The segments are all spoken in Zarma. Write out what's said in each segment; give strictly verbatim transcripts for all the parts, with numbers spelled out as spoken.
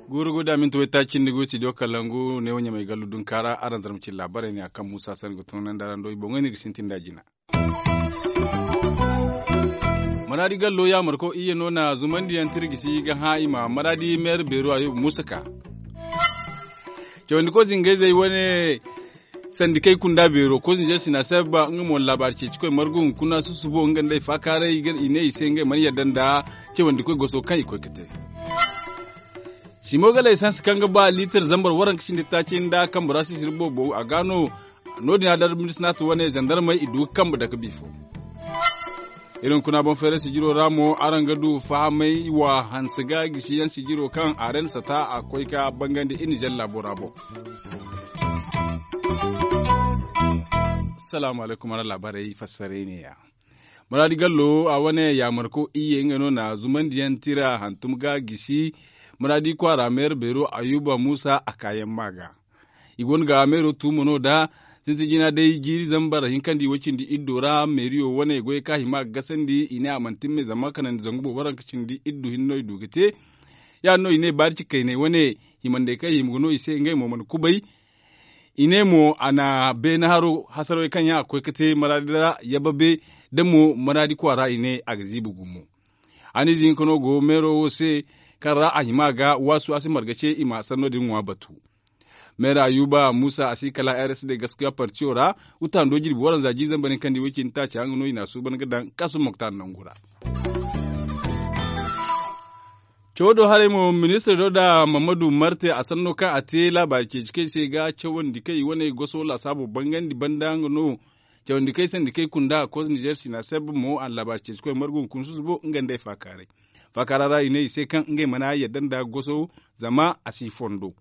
Guuru guda minti waytaaci nda gu studio kalangu ne wo ɲamay gallu dunkaara araŋ zarma cine laabaarey ne a kaŋ muusa sanda ga tunandi araŋ do i boŋey no iri ga sintin nd'a jina. Maraadi gallo yaamarko iyye no na zumandiyaŋ tirgisi ga hã i ma maraadi meera beero a yooba muusa ka. Cawandiko zingayzey wane sandikey kunda beero koy zinzer sina sabba nga mo laabaari ceeci koy margu hunkuna susubo nga nd'ey faakaaray i ne i se ngey mana yadda nda cawandikoy goso kaŋ i koy ga te. Simo ga laysans kaŋ ga ba liitir zambar waranka cindi taaci nda kambe ra sisiri boobo a ga no. No- din a dar ministinaati wane zandarmey i du ga kambe dake bifo. Iri hunkuna boŋ feeray sijiro ra mo araŋ ga du fahamay wa hanse ga gisi yaŋ sijiro kaŋ a ren sata a koy ga bangandi iri nizer laabo ra boŋ. Salaamu alaykum araŋ laabaarey fassaray ne- ya. Muraadi gallo a wane yaamarko iyye nga no na zumandiyaŋ tira hantum ga gisi muraadi kwaara meera beero ayuba muusa a kaayaŋ ma ga. I go no ga meero tuumo no da sintin jina day jiiri zambar hinkandi way cindi iddo ra meeriyo wane goyey kaŋ a hima ga gasandi i ne a mana timme zama kanandi zangu boobo waranka cindi iddu hinne no i du ga te. Ya- din no i ne baari cikayney wane himandey kaŋ i hima ga no i se ngey mo mana kubay. I ne mo a na beene haro hasarawey kaŋ yaŋ a ga koy ga te maraadi ra yababe da mo maraadi kwaara i ne a ga ziibi gumo. Haniize hinka no go meero wo se kaŋ ra a hima ga waasu a si marga ce i ma sanno din ŋwa batu. Meera ayuba muusa a si kala r s d gaskiya partiyo ra. Wutando jirbi waranza jiiri zambar hinkandi way cindi taaca nga no i n'a suuban ga daŋ kaasum moktar nangu ra. Cawo do haray mo ministir do da mamadu marte a sanno kaŋ a te laabaari ceeci kaŋ i se ga cawandi kaŋ i wane goso laasaabo bangandi banda nga no. Cawandi kaŋ i sandi kaŋ i kunda koos nizer sina sabba mo a na laabaari ceeci koy margu hunkuna susubo nga nd'ey faakaaray. Faakaara ra i ne i se kaŋ ngey mana yadda nda goso zama a si fondo.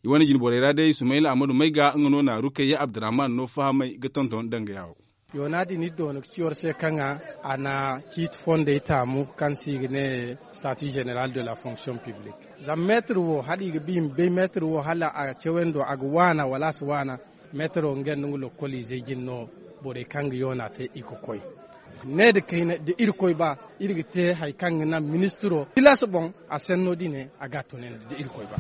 I wane jine borey ra day sumayla ahmadu mayga nga no na rukayya abdurrahman no fahamay ga tonton danga yaawo. Yoona din iri doona ga ci war se kaŋ a na ciiti fondey taamu kaŋ se i ga ne sati general de la fonction publique. Zama meetir wo hala i ga ba i ma bay meetir wo hala a cawandi a ga waana wala a si waana. Meetiro nga nda nga lokkol izey jine no borey kaŋ ga yoona te i ga koy. Ne da kayna da irkoy ba iri ga te hari kaŋ ga naŋ ministiro tilas boŋ a senno din a ga a tunandi da irkoy ba.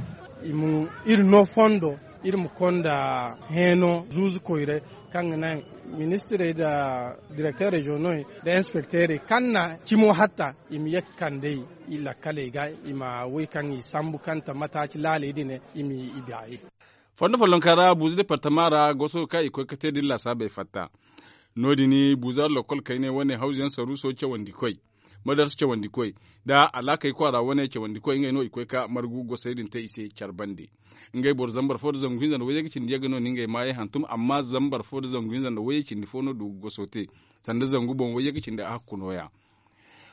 Iri no fondo iri ma konda heeno zuuzu koyray kaŋ ga naŋ ministirey nda direkter reziyoŋey nda inspekteerey kaŋ na cimo hatta i ma ye ga kand'ey i lakkaley ga i ma wey kaŋ i sambu kaŋ ta mataaci laaley din i ma i baayi. Fondo follonka ra buuzu departama ra goso kaŋ i koy ga te da iri laasaabey fatta. No- din buuzu ara lokkol kayney wane hawzu yaŋ saruuso cawandi koy madarsa cawandi koy nda alaakey kwaara wane cawandi koy ngey no i koy ga margu gosey din te i se care bande. Ngey boro zambar fo nda zangu hinza nda wayye ga cindi yagga no na ngey maayey hantum amma zambar fo nda zangu hinza nda wayye cindi fo no du ga goso te. Sanda zangu boŋ wayye ga cindi a hakku nooya.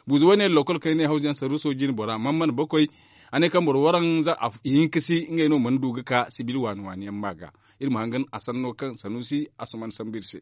Buuzu wane lokol kaŋ i ne hawzu yaŋ saruuso jine bora man mana bakoy. A ne kaŋ boro waranza ihinka si ngey no mana du ga ka sibil waani waani yaŋ ma ga. Iri ma hangan a sanno kaŋ sanuusi a si mana sambu iri se.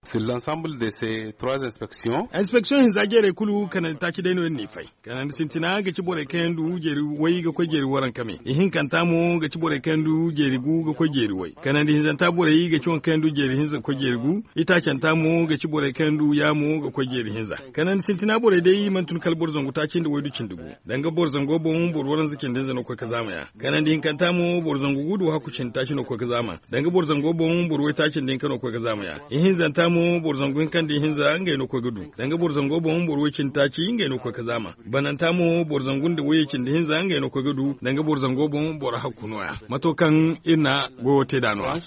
Sur l'ensemble de ces trois inspections. Inspeksiyoŋ hinza jeerey kulu kanandi taaci day no iri n'i fay. Kanandi sintina ga ci borey kaŋ yaŋ du jeeri way ga koy jeeri waranka me. Ihinkanta mo ga ci borey kaŋ yaŋ du jeeri gu ga koy jeeri way. Kanandi hinzanta borey ga ci waŋ kaŋ yaŋ du jeeri hinza ga koy jeeri gu. Itaacanta mo ga ci borey kaŋ yaŋ du yaamo ga koy jeeri hinza. Kanandi sintina borey day mana tun kala boro zangu taaci nda waydu cindi gu. Danga boro zango boŋ boro waranza cindi hinza no koy ga zaama ya. Kanandi hinkanta mo boro zangu gu nda wahakku cindi taaci no koy ga zaama. Danga boro zango boŋ boro waytaaci nda hinka no koy ga zaama ya. Ihinzanta mo boro zangu hinka nda ihinza ngey no koy ga du. Danga boro zango boŋ boro way cindi taaci ngey no koy ga zaama. Bananta mo boro zangu nda wayye cindi hinza ngey no koy ga du. Danga boro zango boŋ boro hakku nooya mato kaŋ iri na goyo te nd'a no-ya.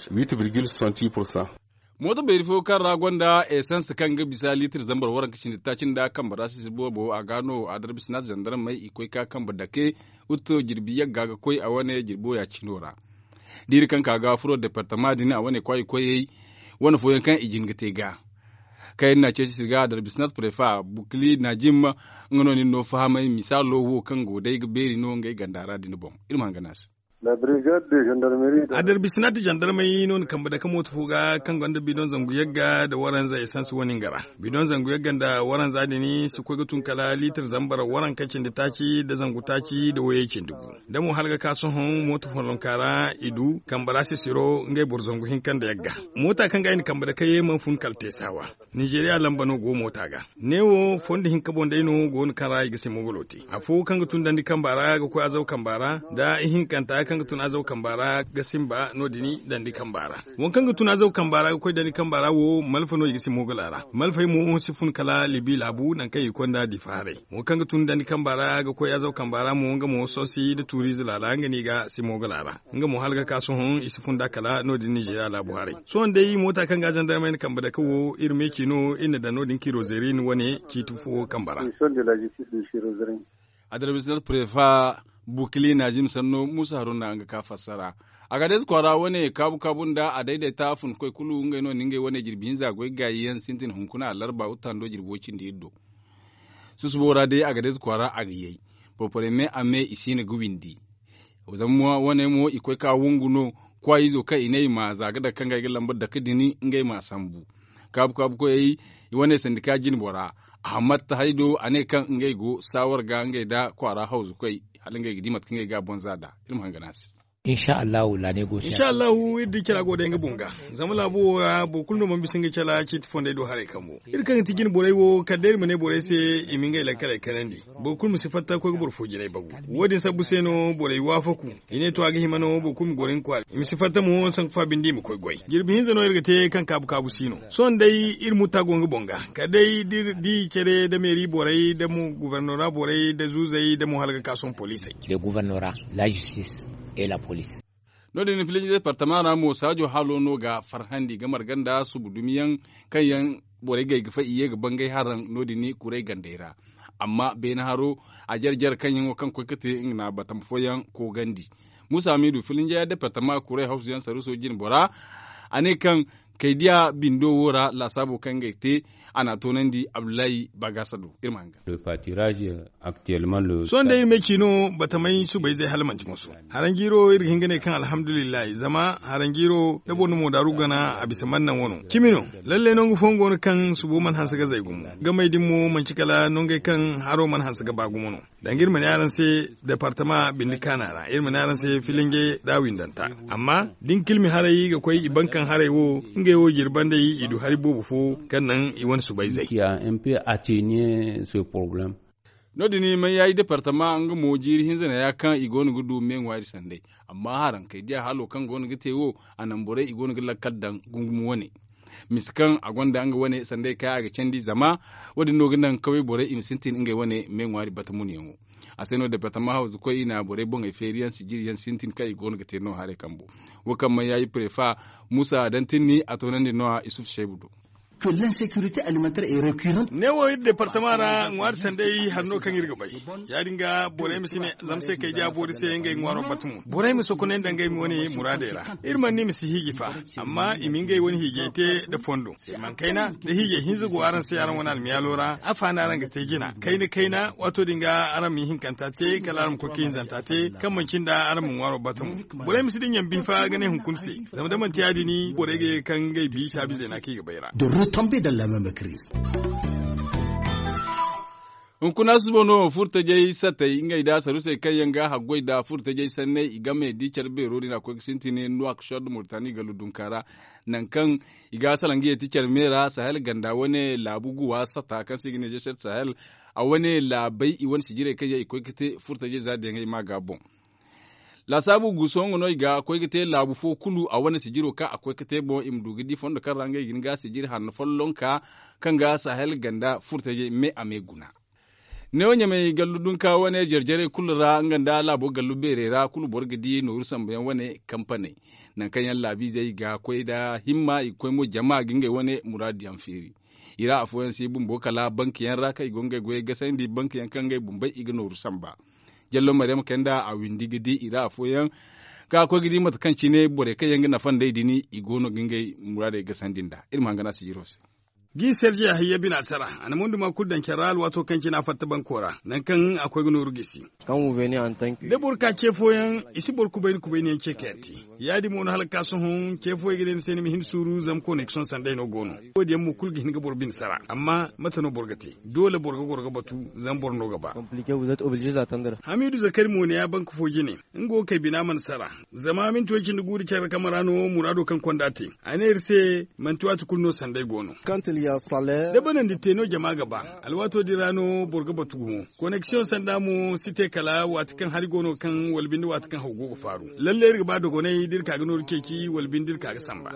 Mooto beeri fo kaŋ ra gonda esans kaŋ ga bisa liitir zambar waranka cindi taaci nda kambe ra sisi boobo a ga no a darbisinaat zandarmey i koy ga kambe dake. Utto jirbi yagga ga koy a wane jirbo ya cino ra. Da iri kaŋ ka ga furo departama din a wane kwaay koyey wane fooyaŋ kaŋ i jin ga te ga. Kaŋ iri na ceeci sirga a darbisinaat prefa bukli najim nga no nin no fahamay misaalo wo kaŋ go day ga beeri no ngey ganda ra din boŋ. Iri ma hangan a se. A darbisina ti zandarmey no na kambe dake mooto fo ga kaŋ gonda bidon zangu yagga nda waranza esans wane nga ra. Bidon zangu yagga nda waranza din si koy ga tun kala liitir zambar waranka cindi taaci nda zangu taaci nda wayey cindi gu. Da mo hala ga ka sohõ mooto fondonka ra i du kambe ra sisiro ngey boro zangu hinka nda yagga. Moota kaŋ ga i na kambe dake ye mana fun kala teesawa. Nizeeriya lamba no go moota ga. Neewo fondo hinka boŋ day no go no kaŋ ra i ga simogolo te. Afo kaŋ ga tun dandi kamba ra ga koy azaw kamba ra, nda ihinkanta kaŋ ga tun azaw kamba ra ga simba no- din dandi kamba ra. Waŋ kaŋ ga tun azaw kamba ra ga koy dandi kamba ra wo, malfa no i ga simogolo a ra. Malfey mo si fun kala libi laabu nangu kaŋ i ga koy nda difa haray. Waŋ kaŋ ga tun dandi kamba ra ga koy azaw kamba ra mo nga mo sosi nda tuuriize laala nga no i ga simogolo a ra. Nga mo hala ga ka sohõ i si fun da kala no- din nizeeriya laabu haray. Sohõ day moota kaŋ ga zandarmey na kambe dake wo iri meeci no iri na daŋ no- din kirozerin wane ciiti fo kamba ra. Adarbisina prefa bukili naazim sanno muusa haruna nga ka fassara. A ga deeze kwaara wane kaabu kaabu nda a dayday ta funkoy kulu ngey no na ngey wane jirbi hinza goy gaayi yaŋ sintin hunkuna alarba wuttando jirbo cindi iri do. Susubo ra day a ga deeze kwaara a ga yay. Porpore me a me i siina ga windi. Zama wane mo i koy ka wongu no kwaayizo kaŋ i ne i ma za ga dake kaŋ ga ay ga lamba dake din ngey ma sambu. Kaabu kaabu koyey i wane sandika jinbora. Ahmad tahaydo a ne kaŋ ngey go saawar ga ngey nda kwaara hawzu koy hala ngey ga di mate kaŋ ngey ga a boŋ za nd'a. Iri ma hangan a se. Insa allahu iri di care a go day nga boŋ ga. Zama laabo wo ra boro kulu no mana bisa nga care ciiti fondey do haray kambo. Iri kaŋ ga ti jine borey wo kala day iri ma ne borey se i ma ngey lakkaley kanandi. Boro kulu ma si fatta koy ga boro fo jinay bagu. Wo- din sabbu se no borey waafaku. I ne to a ga hima no boro kulu ma goro nga kwaara i ma si fatta mo sanku fa binde i ma koy goy jirbi hinza no iri ga te kaŋ kaabu kaabu si no. Sohõ day iri mutta go nga boŋ ga kala day da iri di care nda meeri borey nda mo gubernora borey nda zuuzey nda mo hala ga ka sohõ poliisey. No- din filinje departama ra mo saajo halo no ga farhandi ga marga nda subu dumiyaŋ kaŋ yaŋ borey gay ga fay i ye ga bangay haraŋ no- din kuray gandey ra. Amma beene haro a jare jare kaŋ yaŋo kaŋ koy ga te nga na batama fooyaŋ koogandi. Muusa hamiidu filinje departama kuray hawsuyaŋ saruuso jinbora a ne kaŋ kaydiya bindo wo ra laasaabo kaŋ ngey te a n'a toonandi abdullahi baagasa do. Iri ma hangan. Sohõ day iri ma ay ci no batamey subayzey hala manti moso. Haranjiiro iri ga hin ga ne kaŋ alhamdulillahi zama haranjiiro da boro na moodaaru gana a bisa mana naŋ wano cimi no. Lalle nangu fooyaŋ go no kaŋ subo mana hanse ga zay gumo. Gamey din mo manti kala nangey kaŋ haro mana hanse ga ba gumo no. Danga iri ma ne araŋ se departama bindi kaana ra iri ma ne araŋ se filinje da windanta. Amma da ni ka ilmi haray ga koy i bankaŋ haray wo ngey wo jirbandey i du hari boobo fo kaŋ naŋ i wane subayzey. No- din mayayi departama nga mo jiiri hinza neeya kaŋ i go no ga du me ŋwaari sanday. Amma haraŋ kay diya halo kaŋ go no ga te wo a naŋ borey i go no ga lakkal daŋ gungum wane. Misa kaŋ a gonda nga wane sanday kaŋ a ga candi zama wo- din no ga naŋ kaway borey i ma sintin ngey wane me ŋwaari batamunyaŋo. A se no departama hawzu koy i na borey boŋey feeriyaŋ sijiriyaŋ sintin kaŋ i go no ga te no haray kambo. Wo kaŋ mayayi prefa muusa dantinni a toonandi no- ya isuf seebu do. Neewo iri departama ra ŋwaari sanday hari no kaŋ iri ga bay. Ya- din ga borey ma si ne zama se kay diya boori se ngey ŋwaaro bata mo borey ma sokonay nda ngey wane muraadey ra. Iri mana ne i ma si hiiji fa. Amma i ma ngey wane hiijey te nda fondo se mana kayna da hiijey hinza go araŋ se araŋ wane almiyaalo ra afa no araŋ ga te jina kayna kayna waato din ga araŋ ma ihinkanta te kala araŋ ma koy ka hinzanta te kaŋ manci nda araŋ ma ŋwaaro bata mo. Borey ma si dinya biifa ga ne hunkuna se. Zama da manti ya- din borey ga ye ga kaŋ ngey bi taabize no a kaŋ i ga bay ra. Hunkuna susubo no furtajey sattey ngey nda sarusey kaŋ yaŋ ga haggoy nda furtajey sanney i game da care beero din a koy ga sintin nuwakshod murtani gallu dunka ra. Nangu kaŋ i ga salaŋ ga ye ti care me ra sahel ganda wane laabu guwa satta kaŋ se i ga ne jeset sahel. A wane laabey i wane sijirey kaŋ yaŋ i koy ga te furtajey za diyaŋey ma ga boŋ. Laasaabu guuso nga no i ga koy ga te laabu fo kulu a wane sijiro kaŋ a koy ga te boŋ i ma du ga di fondo kaŋ ra ngey ga hin ga sijiri hanno follonka kaŋ ga sahel ganda furtajey me a me guna. Neewo ɲamay gallu dunka wane jare-jarey kulu ra nga nda laabo gallu beerey ra kulu boro ga di nooru sambu yaŋ wane kampaney. Nangu kaŋ yaŋ laabiizey ga koy nda himma i ga koy mo jama ga ngey wane muraadu yaŋ feeri. I ra afooyaŋ si bumbo kala banki yaŋ ra kaŋ i go ngey goyey gasandi banki yaŋ kaŋ ngey bumbey i ga nooru samba. Jallo maryam kay nda a windi ga di i ra afooyaŋ ka koy ga di mate kaŋ cine borey kaŋ yaŋ ga nafa nd'ey din i go no ga ngey muraadey gasandi nd'a. Iri ma hangan a sijiro se. Gi serge hayya bina sara. A na monduma kulu daŋ care ra alwaato kaŋ cine a fatta banko ra nangu kaŋ a koy ga nooru gisi. Da boro ka ce fooyaŋ, i si boro kubayni kubayni yaŋ ce ka yar te. Ya- din mo no hala ga ka sohõ ce fooyaŋ ga ne ni se ni ma hin suuru zama koneksiyoŋ sanday no go no. Wo- din yaŋ mo kulu ga hin ga boro bine sara, amma mate no boro ga te? Doole boro ga goro ga batu, zama boro no ga ba. Hamiidu zakari mo ne ya banka fo jine, nga wo kay bina mana sara. Zama minti way cindi guuri care kamara no muraado kaŋ konda te. A ne iri se, manti waati kulu no sanday go no. Da banandi te no jama ga ba, alwaato din ra no boro ga batu gumo. Koneksiyoŋ sanda mo si te kala waati kaŋ hari go no kaŋ wala binde waati kaŋ haw go ga faaru. Lalle iri ga ba dogonay da iri ka ga nooru ceeci wala binde iri ka ga samba.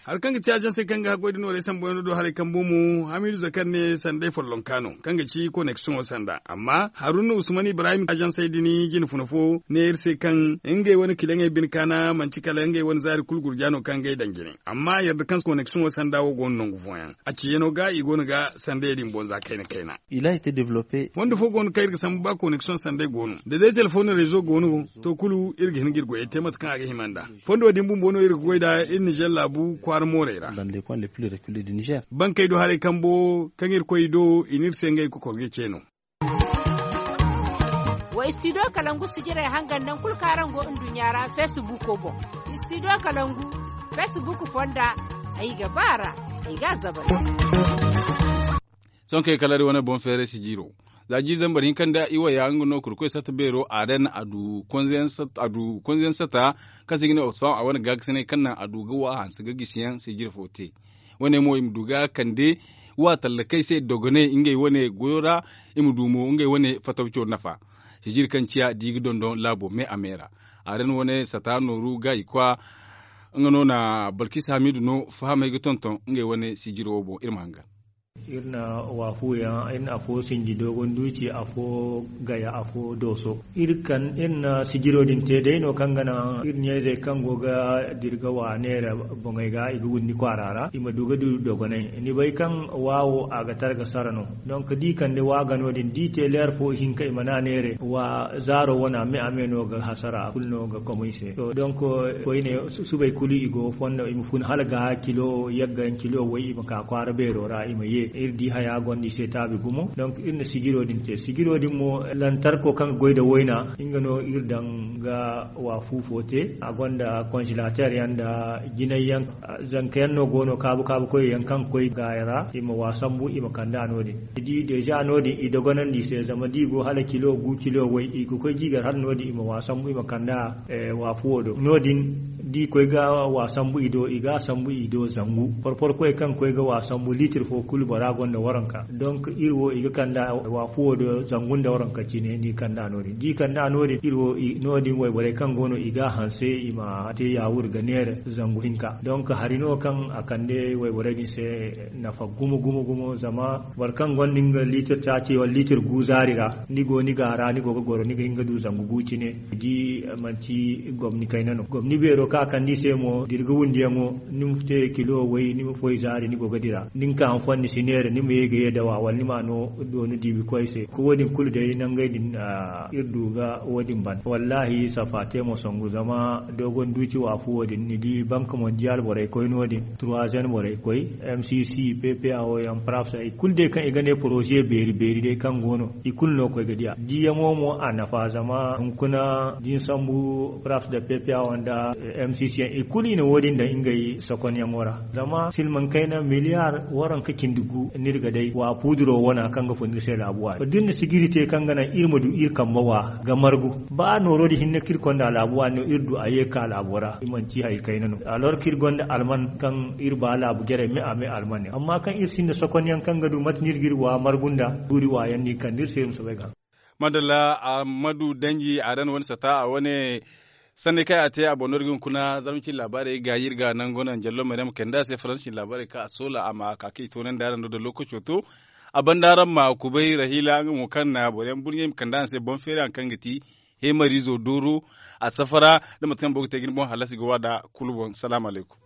Hari kaŋ ga ti azansey kaŋ ga haggoy da noorey sambuyaŋo do haray kambo mo hamiidu zakar ne sanday follonka no kaŋ ga ci koneksiyoŋo sanda. Amma haruna usman ibrahim azansey din jine funa fo ne iri se kaŋ ngey wane kilaŋey bine kaana manti kala ngey wane zaari kulu gurja no kaŋ ngey daŋ jine. Amma yadda kaŋ koneksiyoŋo sanda wo go no nangu fooyaŋ, a ciyaŋo ga i go no ga sandayey din boŋ za kayna kayna. Fondo fo go no kaŋ iri ga sambu ba koneksiyoŋ sanday go no da day telefoŋ reezo go no, to kulu iri ga hin ga iri goyey te mate kaŋ a ga hima nd'a. Fondo din bumbo no iri ga goy nd'a iri nizer laabu kwaara moorey ra. Bankey do haray kambo kaŋ iri koy i do i n'iri se ngey kokor ga ce no. Wa istidiyo kalangu sijirey hangan nangu kulu kaŋ araŋ go nduɲɲa ra feesibuuko boŋ. Istidiyo kalangu feesibuuko fonda, ay ga ba a ra, ay ga a zabal. Sohõ kay kala day wane boŋ feeray sijiro. Za jiiri zambar hinka nda iwaya nga no kurkoy sata beero a daŋ a du konzeyaŋ sata kaŋ se i ga ne oxfam a wane gaakasinay kaŋ naŋ a du ga wa hanse ga gisiyaŋ sijiro fo te. Wane mo i ma du ga kande wa tallakey se dogonay ngey wane goyo ra. I ma du mo ngey wane fatawco nafa sijiri kaŋ ciya di ga dondon laabo me a me ra. A daŋ wane sata nooru ga i kwa. Nga no na balkis hamidu no fahamey ga tonton ngey wane sijiro wo boŋ iri ma hangan. Iri na waafuyaŋ iri na afo sinji dogon duuci afo gaya afo dooso. Iri na sijiro din te day no kaŋ ga naŋ iri ɲayzey kaŋ go ga dira ga wa neera boŋey ga i ga windi kwaara ra i ma du ga du dogonay ni bay kaŋ waawo a ga tara ga sara no. Donk da i kande waaga no- din da i te leer fo ihinka i mana neere wa zaaro wana me a me no ga hasara kulu no ga komo i se. Donk koyne subay kulu i go fondo i ma fun hala ga kilo yagga yaŋ kilo way i ma ka kwaara beero ra i ma ye iri di haya gonda i se taabi gumo donk iri na sijiro din te sijiro din mo lantarko kaŋ ga goy nda wayna nga no iri daŋ ga waafu fo te a gonda konzelater yaŋ nda jinay yaŋ. Zanka yaŋ no go no kaabu kaabu koy yaŋ kaŋ ga koy gaaya ra i ma waa sambu i ma kand'a no- din ni di deeza no- din i dogonandi i se zama da i go hala kilo gu kilo way i ga koy jiigar hala no- din i ma waa sambu i ma kanda waafuwo do no- din da i koy ga waa sambu i do i ga a sambu i do zangu porpor koy kaŋ ga koy ga waa sambu liitir fo kulu bora gonda waranka donk iri wo i ga kanda waafuwo do zangu nda waranka cine ni kanda no- din da i kanda no- din iri wo no- din wayborey kaŋ go no i ga a hanse i ma te yaawur ga neera zangu hinka donk hari no kaŋ a kande wayborey din se nafa gumo gumo gumo zama boro kaŋ gonda nga liitir taaci wala liitir gu zaari ra ni go ni ga a ra ni go ga goro ni ga hin ga du zangu gu cine ni di manti gomni kayna no gomni beero kaŋ a kande i se mo da iri ga wundiyaŋo ni ma te kilo way ni ma foy zaari ni go ga dira ni ma ka hanfon ni si neera ni ma ye ga ye dawa wala ni ma no doonu diibi koy se ka wo- din kulu day nangey din iri du ga wo- din ban wallaahi safa te mo songu zama dogon duuci waafu wo- din ni di bank mondial borey koy no- din troisième borey koy mcc ppa wo yaŋ prafs i kulu day kaŋ i ga ne poroze beeri beeri day kaŋ go no i kulu no koy ga diya diyaŋo mo a nafa zama hunkuna da ni sambu prafs da ppa wo nda mcc yaŋ i kulu i na wo- din daŋ ngey sokonyaŋo ra zama silmaŋ kayna miliyar waranka cindi gu no iri ga day wa puuduro wana kaŋ ga fun iri se laabu waani to da iri na sijiri te kaŋ ga naŋ iri ma du iri kambe wa ga margu ba nooro din hinne kaŋ iri konda laabu waani no iri du a ye ga ka laabo ra i manti hari kayna no alors kaŋ iri gonda alman kaŋ iri ba laabu jarey me a me alman yaŋ amma kaŋ iri sinda sokonyaŋ kaŋ ga du mate no iri ga iri wa margu nda tuuri waayaŋ no i kande iri se iri ma soobay ga haŋ. Madalla ahmadu danji a ra no wane sata a wane sanni kaŋ a te a boŋ no iri ga hunkuna zama cin laabaarey ga iri ga nango naŋ jallo maryam kande a se faransi cin laabaarey kaŋ a soola a ma ka kaŋ i toonandi araŋ do da lookaco to. A banda araŋ ma kubay rahila nga mo kaŋ na boro yaŋ burɲey ma kande araŋ se boŋ feeri haŋ kaŋ ga ti heemariizo dooro a safara da mate kaŋ boro ga te ga ni boŋ hallasi ga wa nd'a kulu boŋ salaamu alaykum.